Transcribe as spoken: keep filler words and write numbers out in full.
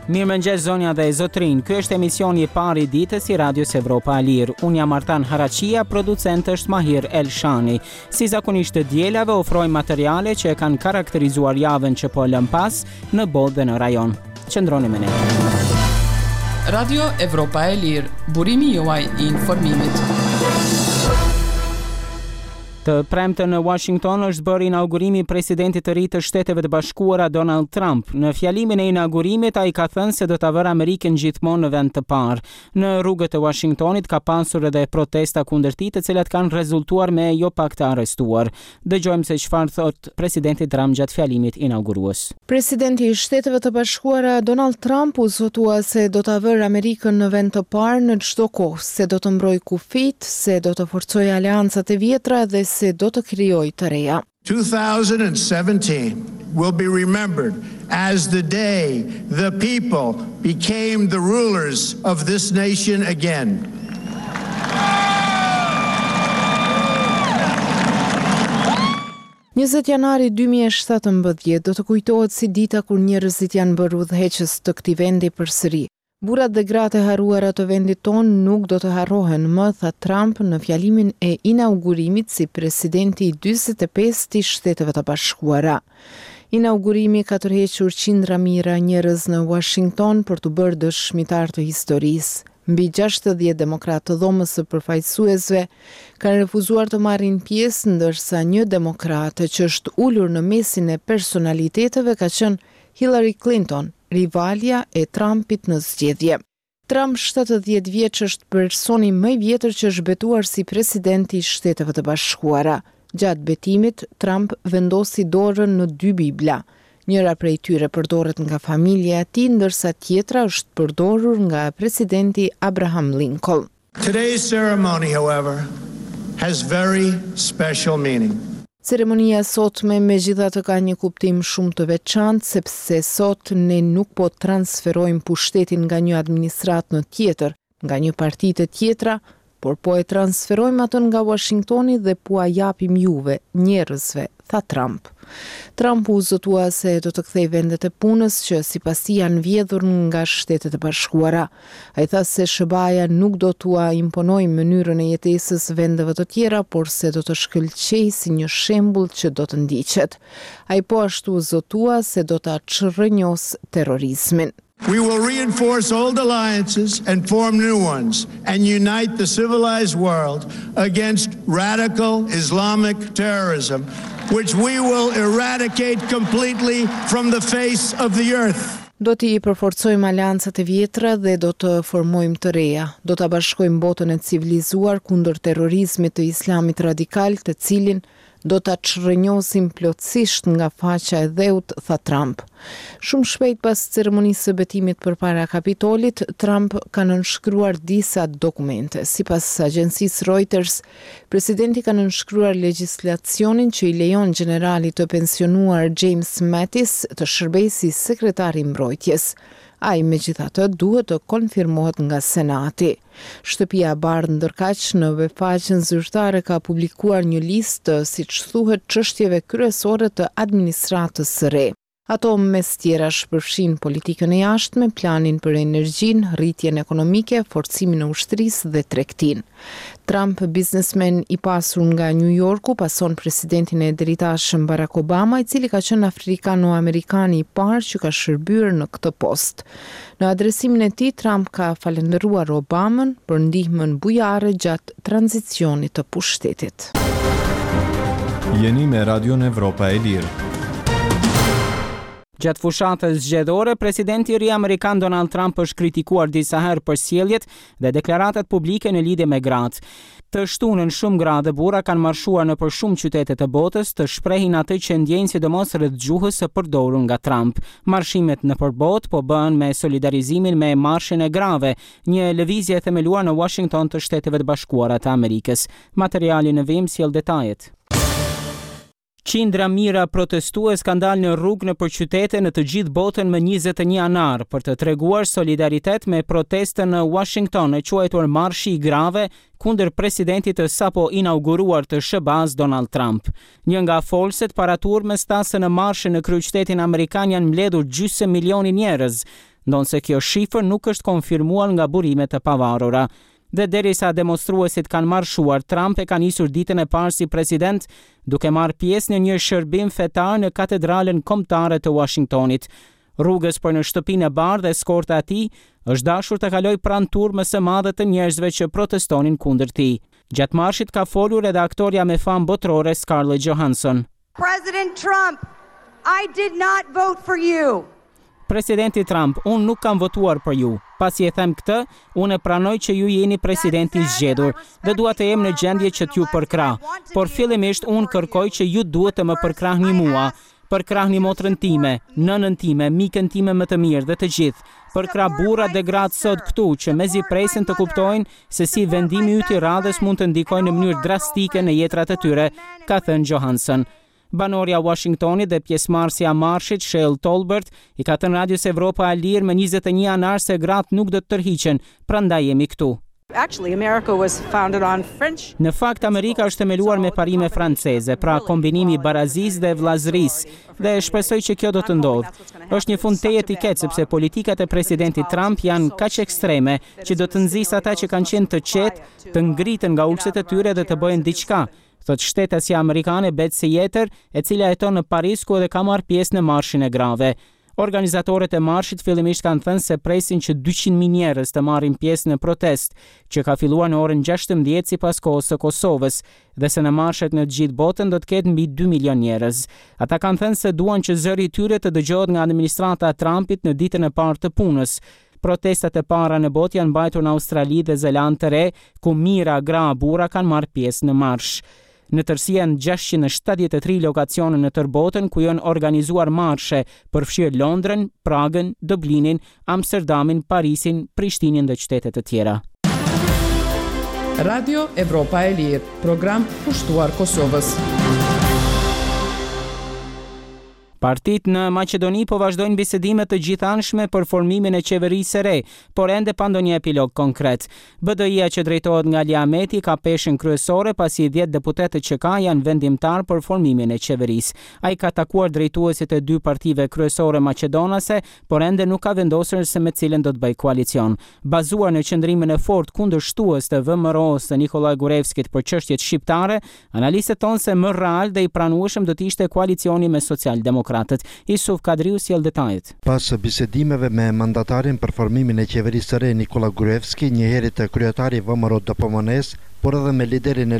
Mirëmëngjes zonja dhe zotërinj. Ky është emisioni i parë i ditës i Radios Evropa e Lirë. Unë jam Artan Haraqia, producent është Mahir Elshani. Si zakonisht të dielave ofrojmë materiale që e kanë karakterizuar javën që po lëm pas në botë dhe në rajon. Qëndroni me ne. Radio Evropa e Lirë, burimi juaj i informimit. Të premte në Washington është bërë inaugurimi i presidentit të ri të Shteteve të Bashkuara Donald Trump. Në fjalimin e inaugurimit ai ka thënë se do ta vërë Amerikën gjithmonë në vend të parë. Në rrugët e Washingtonit ka pasur edhe protesta kundër tij, të cilat kanë rezultuar me jo pak të arrestuar. Dëgjojmë se çfarë thot presidenti Trump gjatë fjalimit inaugurues. Presidenti i Shteteve të Bashkuara Donald Trump u zotua se do ta vërë Amerikën në vend të parë në çdo kohë, se do të mbrojë kufijt, se do të forcojë aleancat e vjetra dhe se do të krijojë të reja. twenty seventeen will be remembered as the day the people became the rulers of this nation again. njëzet janari dy mijë e shtatëmbëdhjetë do të kujtohet si dita kur njerëzit janë bërë udhëheqës të këtij vendi përsëri. Burrat dhe gratë e harruara të vendit tonë nuk do të harrohen më, tha Trump në fjalimin e inaugurimit si presidenti i dyzet e pesë i Shteteve të Bashkuara. Inaugurimi ka tërhequr qindra mijëra njerëz në Washington për të bërë dëshmitar të historisë. Mbi gjashtëdhjetë demokratë të dhomës së përfaqësuesve kanë refuzuar të marrin pjesë, ndërsa një demokrat që është ulur në mesin e personaliteteve ka qenë Hillary Clinton, rivalja e Trumpit në zgjedhje. Trump, shtatëdhjetë vjeç, është personi më i vjetër që është betuar si presidenti i Shteteve të Bashkuara. Gjatë betimit, Trump vendosi dorën në dy Bibla. Njëra prej tyre përdoret nga familja e tij, ndërsa tjetra është përdorur nga presidenti Abraham Lincoln. Today's ceremony, however, has very special meaning. Ceremonia e sotme megjithatë ka një kuptim shumë të veçantë, sepse sot ne nuk po transferojmë pushtetin nga një administratë në tjetër, nga një parti të tjetra, por po e transferojmë atë nga Washingtoni dhe po a japim juve, njerëzve, tha Trump. Trump u zotua se do të kthej vendet e punës që sipas tij janë vjedhur nga Shtetet e Bashkuara. Ai tha se S H B A-ja nuk do t'ua imponojë mënyrën e jetesës vendeve të tjera, por se do të shkëlqejë si një shembull që do të ndiqet. Ai po ashtu u zotua se do ta çrrënjos terrorizmin. We will reinforce old alliances and form new ones and unite the civilized world against radical Islamic terrorism, which we will eradicate completely from the face of the earth. Do t'i përforcojmë aleancat e vjetra dhe do të formojmë të reja. Do ta bashkojmë botën e civilizuar kundër terrorizmit të islamit radikal, të cilin do ta çrrënjosim plotësisht nga faqja e dheut, tha Trump. Shumë shpejt pas ceremonisë së betimit përpara Kapitolit, Trump ka nënshkruar disa dokumente. Sipas agjencisë Reuters, presidenti ka nënshkruar legjislacionin që i lejon generalit të pensionuar James Mattis të shërbejë si sekretar i mbrojtjes. Ai megjithatë duhet të konfirmohet nga Senati. Shtëpia e Bardhë ndërkaq në webfaqen zyrtare ka publikuar një listë të, siç thuhet, çështjeve kryesore të administratës së re. Ato mes tjerash përfshin politikën e jashtme, planin për energjinë, rritjen ekonomike, forcimin e ushtrisë dhe tregtinë. Trump, biznesmen i pasur nga New Yorku, pason presidentin e deritashëm Barack Obama, i cili ka qenë afrikano-amerikani i parë që ka shërbyer në këtë post. Në adresimin e tij, Trump ka falënderuar Obamën për ndihmën bujare gjatë tranzicionit të pushtetit. Jeni me Radion Evropa e Lirë. Gjatë fushatës zgjedhore, presidenti i ri amerikan Donald Trump është kritikuar disa herë për sjelljet dhe deklaratat publike në lidhje me gratë. Të shtunën shumë gra dhe burra kanë marshuar nëpër shumë qytete të botës të shprehin atë që ndjejnë, sidomos rreth gjuhës së përdorur nga Trump. Marshimet nëpër botë po bëhen me solidarizimin me marshin e grave, një lëvizje e themeluar në Washington të Shteteve të Bashkuara të Amerikës. Materiali në vijim sjell detajet. Qindra mijëra protestues kanë dalë në rrugë nëpër qytete në të gjithë botën më njëzet e një janar për të treguar solidaritet me protestën në Washington e quajtur Marshi i Grave kundër presidentit të sapo inauguruar të S H B A-s, Donald Trump. Një nga folëset para turmës tha se në marshin në kryeqytetin amerikan janë mbledhur gjysmë milioni njerëz, ndonëse kjo shifër nuk është konfirmuar nga burime të pavarura. Dhe derisa demonstruesit kanë marshuar, Trump e ka nisur ditën e parë si president duke marrë pjesë në një shërbim fetar në Katedralen Kombëtare të Washingtonit. Rrugës për në Shtëpinë e Bardhë, eskorta e tij është dashur të kalojë pranë turmës së madhe të njerëzve që protestonin kundër tij. Gjatë marshit ka folur edhe aktorja me famë botërore, Scarlett Johansson. President Trump, I did not vote for you. Presidenti Trump, unë nuk kam votuar për ju. Pasi e them këtë, unë e pranoj që ju jeni presidenti i zgjedhur dhe dua të jem në gjendje që t'ju përkrah. Por fillimisht unë kërkoj që ju duhet të më përkrahni mua, përkrahni motrën time, nënën time, mikën time më të mirë dhe të gjithë. Përkrah burrat dhe gratë sot këtu që mezi presin të kuptojnë se si vendimi yt i radhës mund të ndikojë në mënyrë drastike në jetrat e tyre, ka thënë Johansson. Banorja Washingtonit dhe pjesëmarrësja e marshit, Shell Tolbert, i ka thënë Radios Evropa e Lirë më njëzet e një janar se gratë nuk do të tërhiqen, prandaj jemi këtu. Actually, America was founded on French. Në fakt, Amerika është themeluar me parime franceze, pra kombinimi i barazisë dhe vëllazërisë, dhe shpresoj që kjo do të ndodhë. Është një fund tejet i keq, sepse politikat e presidentit Trump janë kaq ekstreme që do të nxisë ata që kanë qenë të qetë, të ngriten nga ulëset e tyre dhe të bëjnë diçka, thot shtetasja amerikane Betsy Jeter, e cila jeton në Paris, ku edhe ka marrë pjesë në marshin e grave. Organizatorët e marshit fillimisht kanë thënë se presin që dyqind mijë njerëz të marrin pjesë në protest, që ka filluar në orën gjashtëmbëdhjetë sipas kohës së Kosovës, dhe se në marshet në të gjithë botën do të ketë mbi dy milion njerëz. Ata kanë thënë se duan që zëri i tyre të dëgjohet nga administrata e Trumpit në ditën e parë të punës. Protestat e para në botë janë mbajtur në Australi dhe Zelandë të Re, ku mijëra gra e burra kanë marrë pjesë në marsh. Në tërësi janë gjashtëqind e shtatëdhjetë e tri lokacione në tërë botën ku janë organizuar marshe, përfshirë Londrën, Pragën, Dublinin, Amsterdamin, Parisin, Prishtinën dhe qytete të tjera. Radio Evropa e Lirë, program kushtuar Kosovës. Partitë në Maqedoni po vazhdojnë bisedimet të gjithanshme për formimin e qeverisë së re, por ende pa ndonjë epilog konkret. B D I-ja që drejtohet nga Ali Ahmeti ka peshën kryesore, pasi dhjetë deputetët që ka janë vendimtar për formimin e qeverisë. Ai ka takuar drejtuesit e dy partive kryesore maqedonase, por ende nuk ka vendosur se me cilën do të bëjë koalicion. Bazuar në qëndrimin e fortë kundërshtues të V M R O-s të Nikola Gruevskit për çështjet shqiptare, analistët thonë se më real dhe i pranueshëm do të ishte koalicioni me socialdemokratët. Isuf Kadriu sjell detajet. Pas bisedimeve me mandatarin për formimin e qeverisë së re, Nikola Gruevski, njëherit të kryetari V M R O D P M N-s, por edhe me liderin e